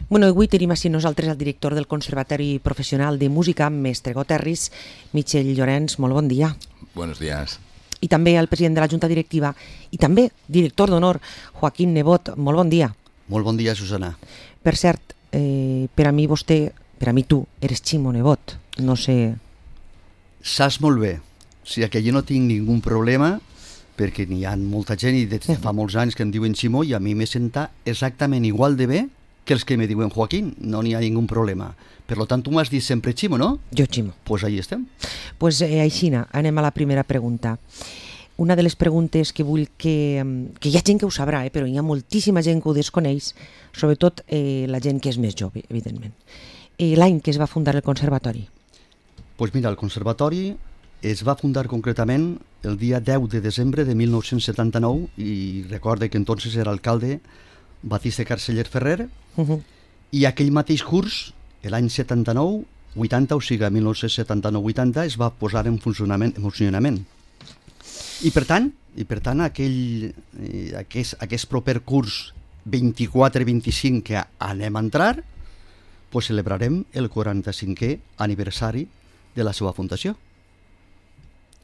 Bueno, avui tenim així nosaltres el director del Conservatori Professional de Música, mestre Goterris, Michel Llorenç. Molt bon dia. Buenos días. I també el president de la Junta Directiva i també director d'honor, Joaquín Nebot. Molt bon dia. Molt bon dia, Susana. Per cert, per a mi vostè, per a mi tu, eres Ximo Nebot. No sé... Saps molt bé. O sigui que jo no tinc ningú problema perquè n'hi ha molta gent i des de fa molts anys que em diuen Ximo i a mi me senta exactament igual de bé que els que me diuen Joaquín. No n'hi ha ningú problema. Per tant, tu m'has dit sempre Ximo, no? Jo Ximo. Pues ahí estem. Pues aixina, anem a la primera pregunta. Una de les preguntes que vull que hi ha gent que ho sabrà, però hi ha moltíssima gent que ho desconeix, sobretot la gent que és més jove, evidentment. L'any que es va fundar el Conservatori? Pues mira, el Conservatori es va fundar concretament el dia 10 de desembre de 1979 i recorde que entonces era alcalde Batiste Carceller Ferrer i aquell mateix curs, l'any 79-80, o sigui, 1979-80, es va posar en funcionament. I per tant aquest proper curs 24-25 que anem a entrar, pues celebrarem el 45è aniversari de la seva fundació.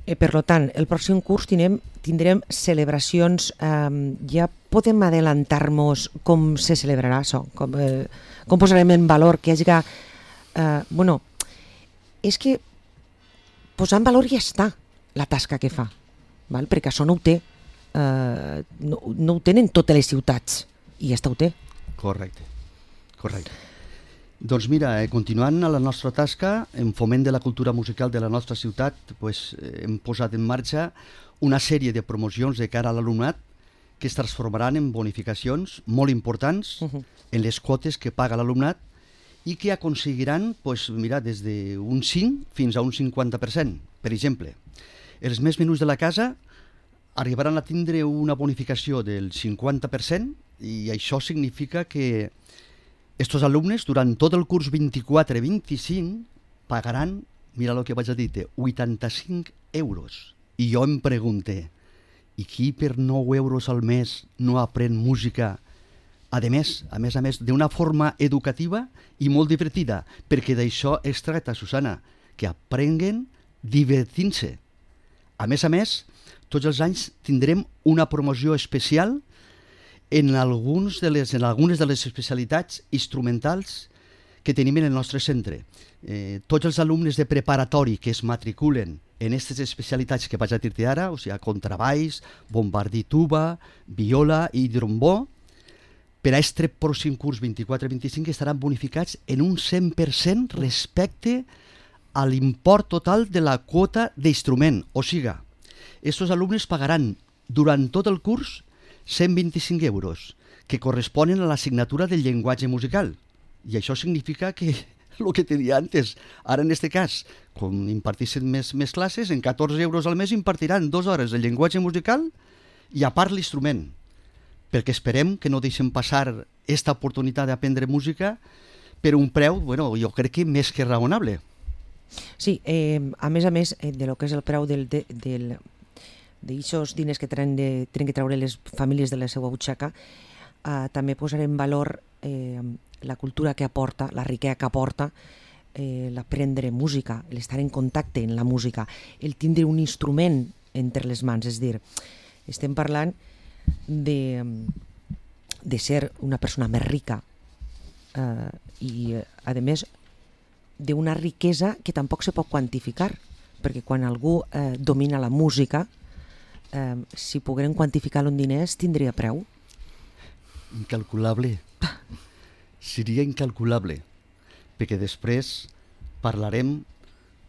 Per tant, el pròxim curs tindrem celebracions. Ja podem adelantar-nos com se celebrarà això? Com posarem en valor que hi hagi... Bueno, és que posar en valor ja està la tasca que fa, val? Perquè això no ho té. No ho tenen totes les ciutats i ja està ho té. Correcte. Doncs mira, continuant a la nostra tasca, en foment de la cultura musical de la nostra ciutat, pues, hem posat en marxa una sèrie de promocions de cara a l'alumnat que es transformaran en bonificacions molt importants en les quotes que paga l'alumnat i que aconseguiran pues, mira, des d'un 5 fins a un 50%. Per exemple, els més menuts de la casa arribaran a tindre una bonificació del 50% i això significa que estos alumnes, durant tot el curs 24-25, pagaran, mira el que vaig a dir, 85 euros. I jo em pregunte, i qui per 9 euros al mes no aprèn música? A més, d'una forma educativa i molt divertida, perquè d'això es tracta, Susana, que aprenguen divertint-se. A més, tots els anys tindrem una promoció especial en algunes de les especialitats instrumentals que tenim en el nostre centre. Tots els alumnes de preparatori que es matriculen en aquestes especialitats que vaig a dir-te ara, o sigui, contrabaix, bombardí tuba, viola i trombó, per a aquest pròxim curs 24-25 estaran bonificats en un 100% respecte a l'import total de la quota d'instrument. O sigui, aquests alumnes pagaran durant tot el curs 125 euros, que corresponen a l'assignatura del llenguatge musical. I això significa que, el que te deia antes, ara en aquest cas, com impartissin més classes, en 14 euros al mes impartiran 2 hores de llenguatge musical i a part l'instrument, perquè esperem que no deixem passar aquesta oportunitat d'aprendre música per un preu, bueno, jo crec que més que raonable. Sí, a més, de lo que és el preu d'aixòs diners que tenen que treure les famílies de la seva butxaca, també posarem en valor la cultura que aporta, la riquesa que aporta l'aprendre música, l'estar en contacte amb la música, el tindre un instrument entre les mans. És dir, estem parlant de ser una persona més rica i, a més, d'una riquesa que tampoc se pot quantificar, perquè quan algú domina la música, si pogueren quantificar-lo en diners, tindria preu? Incalculable. Seria incalculable, perquè després parlarem,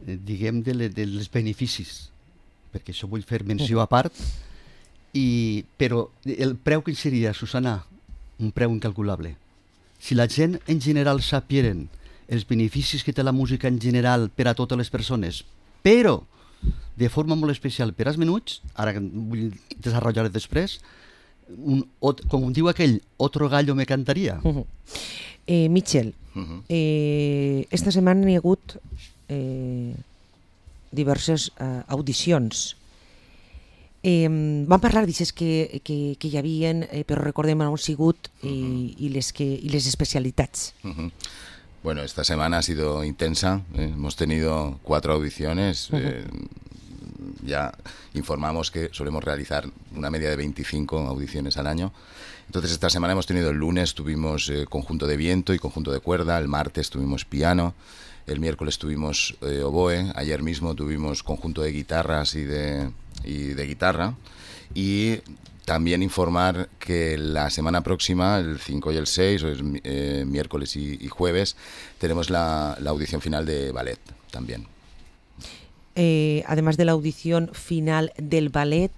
diguem, dels beneficis, perquè això vull fer menció a part, però el preu que seria, Susana, un preu incalculable. Si la gent en general sapieren els beneficis que té la música en general per a totes les persones, però de forma molt especial per als menuts, ara vull desenvolupar després, com diu aquell, otro gallo me cantaria. Michel, esta setmana hi ha hagut diverses audicions. Vam parlar d'aixes que hi havien, però recordem on han sigut i les especialitats. Bueno, esta semana ha sido intensa, hemos tenido 4 audiciones, ya informamos que solemos realizar una media de 25 audiciones al año. Entonces esta semana hemos tenido el lunes, tuvimos conjunto de viento y conjunto de cuerda, el martes tuvimos piano, el miércoles tuvimos oboe, ayer mismo tuvimos conjunto de guitarras y de guitarra, y también informar que la semana próxima, el 5 y el 6, miércoles y jueves, tenemos la audición final de ballet también. Además de la audición final del ballet,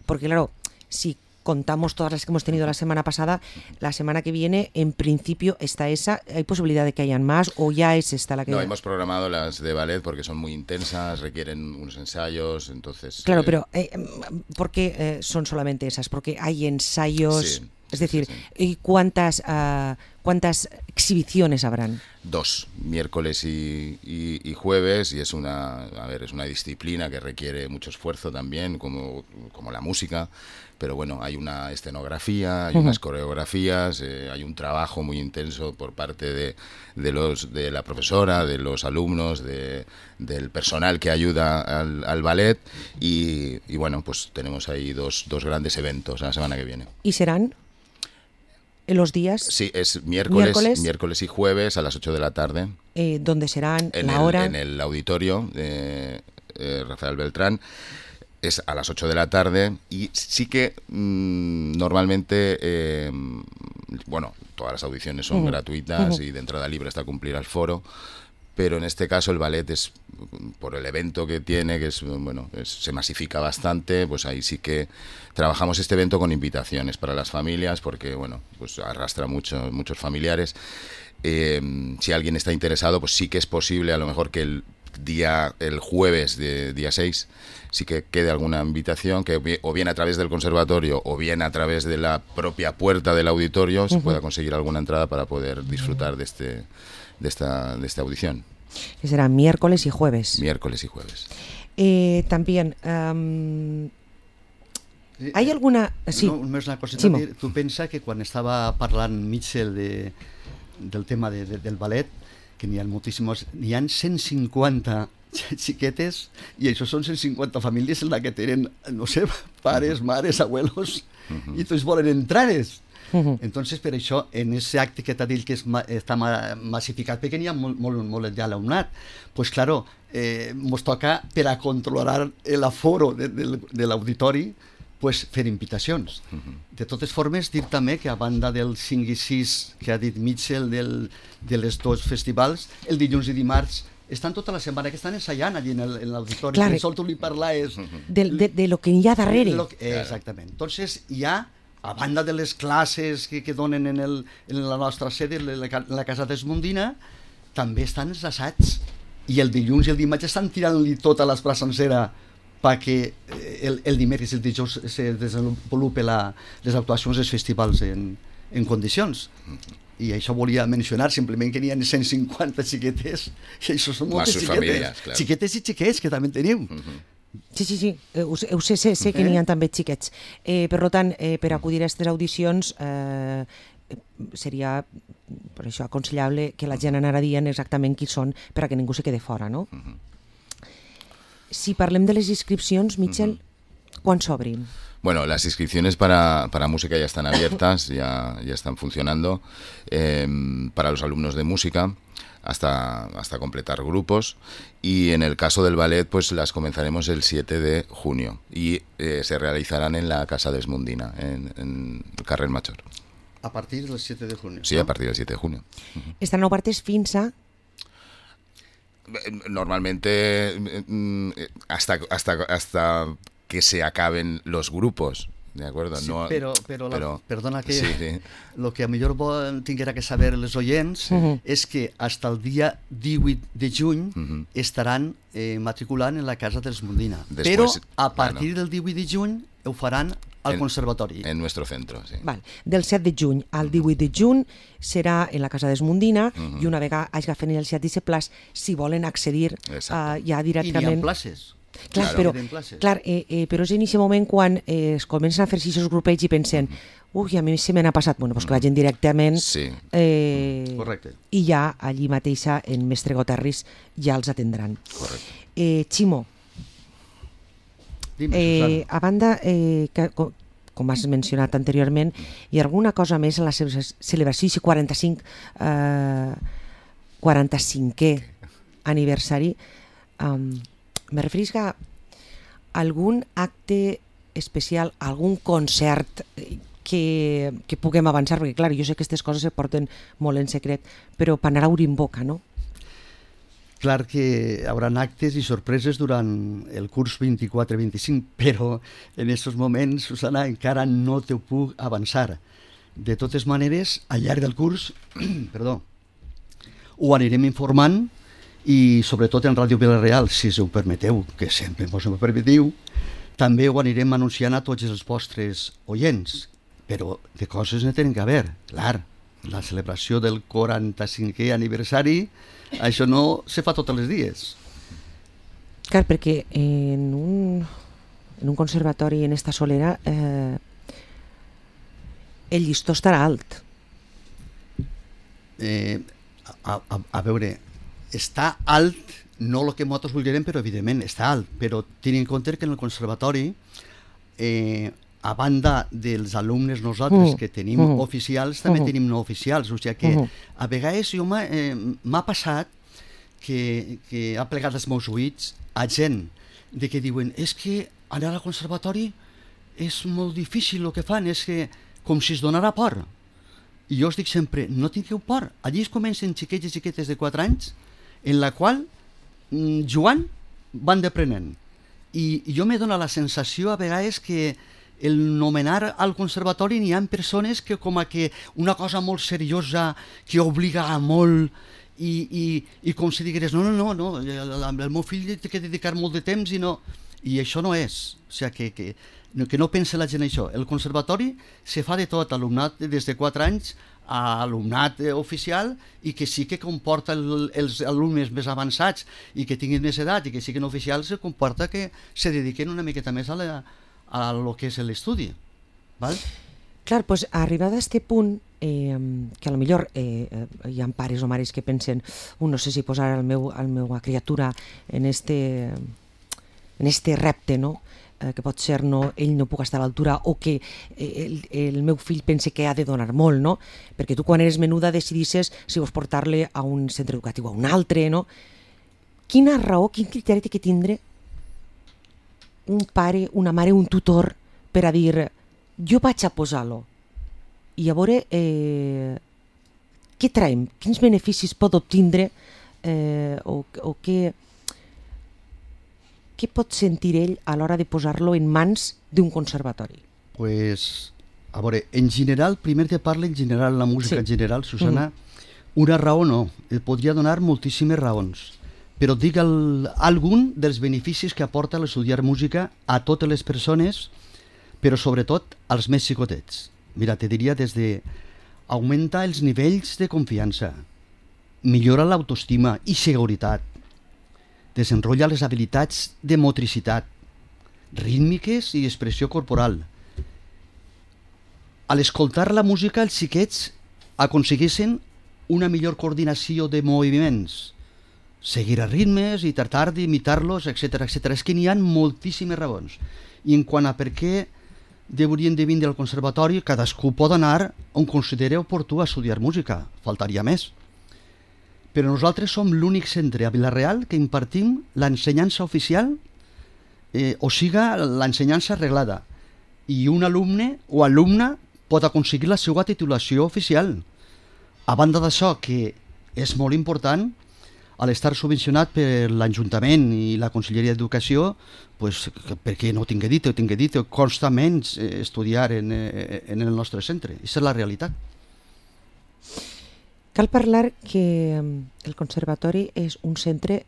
porque claro, si contamos todas las que hemos tenido la semana pasada, la semana que viene, en principio, está esa. ¿Hay posibilidad de que hayan más o ya es esta la que...? No, hemos programado las de ballet porque son muy intensas, requieren unos ensayos, entonces... Claro, pero ¿por qué son solamente esas? Porque hay ensayos... Sí, es decir, sí. ¿cuántas exhibiciones habrán? 2, miércoles y jueves, y es una disciplina que requiere mucho esfuerzo también, como la música, pero bueno, hay una escenografía, hay unas coreografías, hay un trabajo muy intenso por parte de la profesora, de los alumnos, del personal que ayuda al ballet, y bueno, pues tenemos ahí dos grandes eventos la semana que viene. ¿Y serán en los días? Sí, es miércoles y jueves a las 8 de la tarde. ¿Dónde serán? En ¿La hora? En el auditorio Rafael Beltrán. Es a las 8 de la tarde, y sí que normalmente, bueno, todas las audiciones son gratuitas y de entrada libre hasta cumplir al foro, pero en este caso el ballet es, por el evento que tiene, que es, bueno, se masifica bastante, pues ahí sí que trabajamos este evento con invitaciones para las familias, porque bueno, pues arrastra muchos familiares. Si alguien está interesado, pues sí que es posible a lo mejor que el jueves de día 6 sí que quede alguna invitación, que o bien a través del conservatorio o bien a través de la propia puerta del auditorio se pueda conseguir alguna entrada para poder disfrutar de esta audición. Que será miércoles y jueves. Miércoles y jueves. También ¿hay alguna...? Sí. No, només una coseta. Tu pensa que quan estava parlant Mitchell del tema del ballet, que n'hi ha moltíssimes, n'hi ha 150 xiquetes, i això són 150 famílies en la que tenen, no sé, pares, mares, abuelos, i tots volen entrar-es. Entonces, per això, en aquest acte que t'ha dit que està massificat, perquè n'hi ha molt ja l'alumnat, pues claro, ens toca, per a controlar l'aforo de l'auditori, pues fer invitacions. De totes formes, dir també que a banda del 5 i 6 que ha dit Mitchell de les dos festivals, el dilluns i dimarts estan tota la setmana que estan ensaiant allí en l'auditori. Clar. Sol tu li parlaves... De lo que hi ha darrere. Exactament. Entonces, hi ha, a banda de les classes que donen en la nostra sede, en la Casa d'Esmondina, també estan els assaigs. I el dilluns i el dimarts estan tirant-li tota l'esprà sencera perquè el dimecres i el dijous se desenvolupen les actuacions dels festivals en condicions. I això volia mencionar, simplement que n'hi ha 150 xiquetes, i això són moltes xiquetes. Famílies, clar. Xiquetes i xiquets, que també en tenim. Sí, ho sé que n'hi ha també xiquets. Per tant, per acudir a aquestes audicions seria, per això, aconsellable que la gent anara dient exactament qui són per a que ningú se quede fora, no? Si parlem de les inscripcions, Mitchell, quan s'obrin? Bueno, las inscripciones para música ya están abiertas, ya están funcionando, para los alumnos de música hasta completar grupos, y en el caso del ballet pues las comenzaremos el 7 de junio y se realizarán en la Casa d'Esmondina, en el Carrer Major. A partir del 7 de junio. Sí, ¿no? A partir del 7 de junio. Estan obertes fins a... Normalmente hasta que se acaben los grupos, ¿de acuerdo? Sí, no, però perdona que sí. Lo que a millor tinguera que saber les oients és que hasta el dia 18 de juny estaran matriculant en la Casa d'Esmondina. Però a partir del 18 de juny ho faran al conservatori. En nuestro centro, sí. Val. Del 7 de juny al 18 de juny serà en la Casa d'Esmondina i una vegada hagi fet el 7 plaç, si volen accedir ja directament... I n'hi ha places. Clar, Claro. però és en aquest moment quan es comencen a fer aquests grupets i pensen ui, a mi se me n'ha passat, bueno, doncs que vagin directament Sí. Correcte. i ja allí mateixa en Mestre Goterris ja els atendran. Correcte. Ximo, Dime, Susana. a banda, com has mencionat anteriorment, hi ha alguna cosa més en la celebració i 45è aniversari? Me referís a algun acte especial, algun concert que puguem avançar, perquè clar, jo sé que aquestes coses se porten molt en secret, però per anar obrint boca, no? Clar que hi haurà actes i sorpreses durant el curs 24-25, però en aquests moments, Susana, encara no te puc avançar. De totes maneres, al llarg del curs, perdó, ho anirem informant i sobretot en Ràdio Vila-real, si us ho permeteu, que sempre us ho permetiu, també ho anirem anunciant a tots els vostres oients, però de coses ne tenen que haver, clar. La celebració del 45è aniversari, això no se fa tots els dies. Clar, perquè en un conservatori en esta solera el llistó estarà alt. A veure, està alt, no el que nosaltres voldríem, però evidentment està alt, però tenint en compte que en el conservatori, a banda dels alumnes nosaltres que tenim oficials, també tenim no oficials, o sigui que a vegades m'ha passat que ha plegat els meus oïts a gent de que diuen és que anar al conservatori és molt difícil el que fan, és que com si es donara por. I jo us dic sempre, no tingueu por, allí es comencen xiquets i xiquetes de 4 anys en la qual jugant van deprenent. I jo me dona la sensació a vegades que el nomenar al conservatori n'hi ha persones que com a que una cosa molt seriosa que obliga a molt i com si digués no, el meu fill té que dedicar molt de temps i això no és, o sigui que no pense la gent això. El conservatori se fa de tot, alumnat des de 4 anys a alumnat oficial i que sí que comporta els alumnes més avançats i que tinguin més edat i que siguin oficials, se comporta que se dediquen una miqueta més a lo que és l'estudi. Val? Clar, doncs arribada a este punt, que a lo millor hi ha pares o mares que pensen no sé si posar la meva criatura en este repte, no? Que pot ser ell no puc estar a l'altura o que el meu fill pense que ha de donar molt, no? Perquè tu quan eres menuda decidisses si vols portar-le a un centre educatiu o a un altre, no? Quina raó, quin criteri té que tindre un pare, una mare, un tutor per a dir jo vaig a posar-lo i a veure què traiem, quins beneficis pot obtindre o què pot sentir ell a l'hora de posar-lo en mans d'un conservatori? Pues, a veure, en general, primer te parla en general, la música en general, Susana, una raó no, et podria donar moltíssimes raons, però dic algun dels beneficis que aporta l'estudiar música a totes les persones, però sobretot als més xicotets. Mira, te diria des de augmentar els nivells de confiança, millora l'autoestima i seguretat, desenrotlla les habilitats de motricitat, rítmiques i expressió corporal. A l'escoltar la música, els xiquets aconsegueixen una millor coordinació de moviments, seguir a ritmes i tractar d'imitar-los, etc. És que n'hi ha moltíssimes raons. I en quant a per què deurien de vindre al conservatori, cadascú pot anar on consideri oportú a estudiar música, faltaria més. Però nosaltres som l'únic centre a Vila-real que impartim l'ensenyança oficial, o siga l'ensenyança reglada, i un alumne o alumna pot aconseguir la seva titulació oficial. A banda d'això, que és molt important, a l'estar subvencionat per l'Ajuntament i la Conselleria d'Educació, pues, perquè no tinc dit, costa menys estudiar en el nostre centre. Aquesta és la realitat. Cal parlar que el conservatori és un centre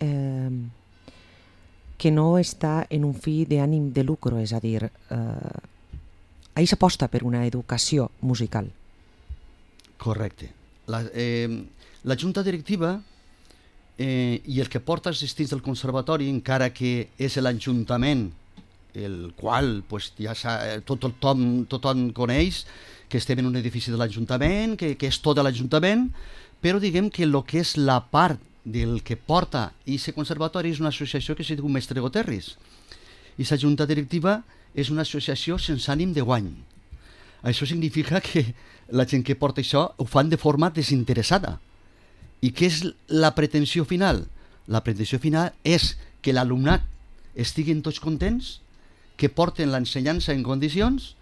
que no està en un fi d'ànim de lucro, és a dir, ahí s'aposta per una educació musical. Correcte. La junta directiva i el que porta els distints del conservatori, encara que és l'Ajuntament, el qual pues, ja tothom coneix que estem en un edifici de l'Ajuntament, que és tot de l'Ajuntament, però diguem que el que és la part del que porta aquest conservatori és una associació que se diu Mestre Goterris. I la junta directiva és una associació sense ànim de guany. Això significa que la gent que porta això ho fan de forma desinteressada. I què és la pretensió final? La pretensió final és que l'alumnat estiguin tots contents, que porten l'ensenyança en condicions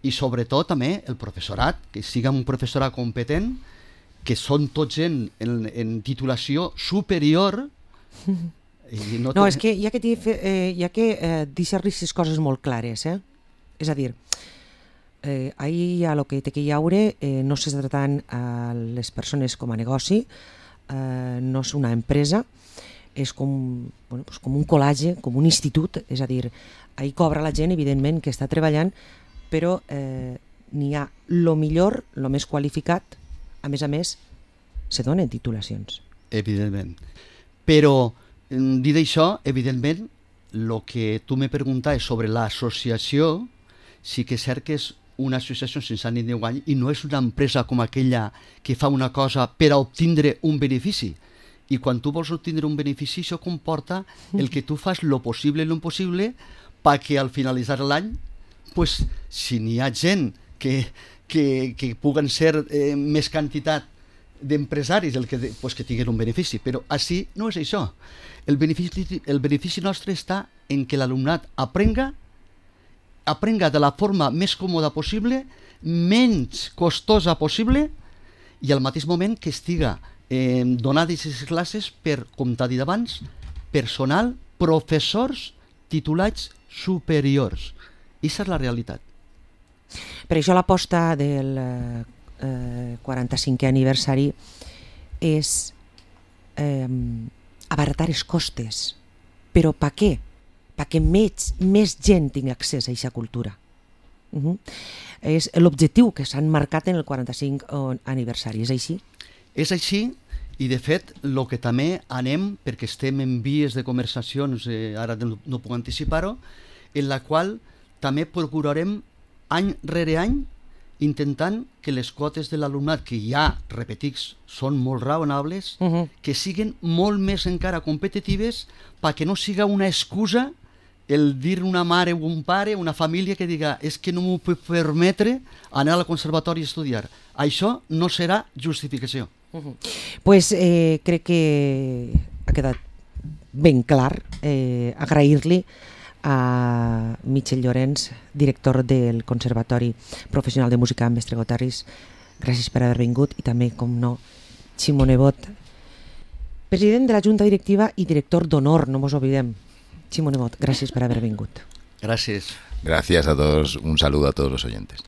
i sobretot també el professorat, que siga un professorat competent, que són tots gent en titulació superior. No, és que hi ha que deixar aquestes coses molt clares, eh? És a dir, ahir hi ha el que té que hi haure, no s'està tratant a les persones com a negoci, no és una empresa, és com un col·legi, com un institut, és a dir, ahir cobra la gent, evidentment, que està treballant, però n'hi ha el millor, el més qualificat, a més, se donen titulacions. Evidentment. Però, dit això, evidentment, el que tu me preguntaves sobre l'associació, sí que és cert que és una associació sense ànim de guany i no és una empresa com aquella que fa una cosa per a obtindre un benefici. I quan tu vols obtindre un benefici, això comporta el que tu fas lo possible i l'impossible perquè al finalitzar l'any, pues, si n'hi ha gent que puguen ser més quantitat d'empresaris que tinguin un benefici, però així no és això. El benefici nostre està en que l'alumnat aprenga de la forma més còmoda possible, menys costosa possible i al mateix moment que estiga donades aquestes classes per, com t'ha dit abans, personal, professors titulats superiors. Aquesta és la realitat. Per això l'aposta del 45è aniversari és abaratar els costes. Però per què? Perquè més gent tingui accés a aquesta cultura. És l'objectiu que s'han marcat en el 45 aniversari, és així? És així, i de fet, el que també anem, perquè estem en vies de conversacions, ara no puc anticipar-ho, en la qual també procurarem any rere any intentant que les quotes de l'alumnat, que ja, repetics, són molt raonables, que siguin molt més encara competitives perquè no siga una excusa el dir una mare o un pare, una família que diga és que no m'ho puc permetre anar al conservatori a estudiar. Això no serà justificació. Pues crec que ha quedat ben clar. Agrair-li a Michel Llorens, director del Conservatori Professional de Música Mestre Goterris. Gràcies per haver vingut, i també, com no, Ximo Nebot, president de la Junta Directiva i director d'honor, no mos oblidem. Ximo Nebot, gracias por haber vingut. Gracias. Gracias a todos, un saludo a todos los oyentes.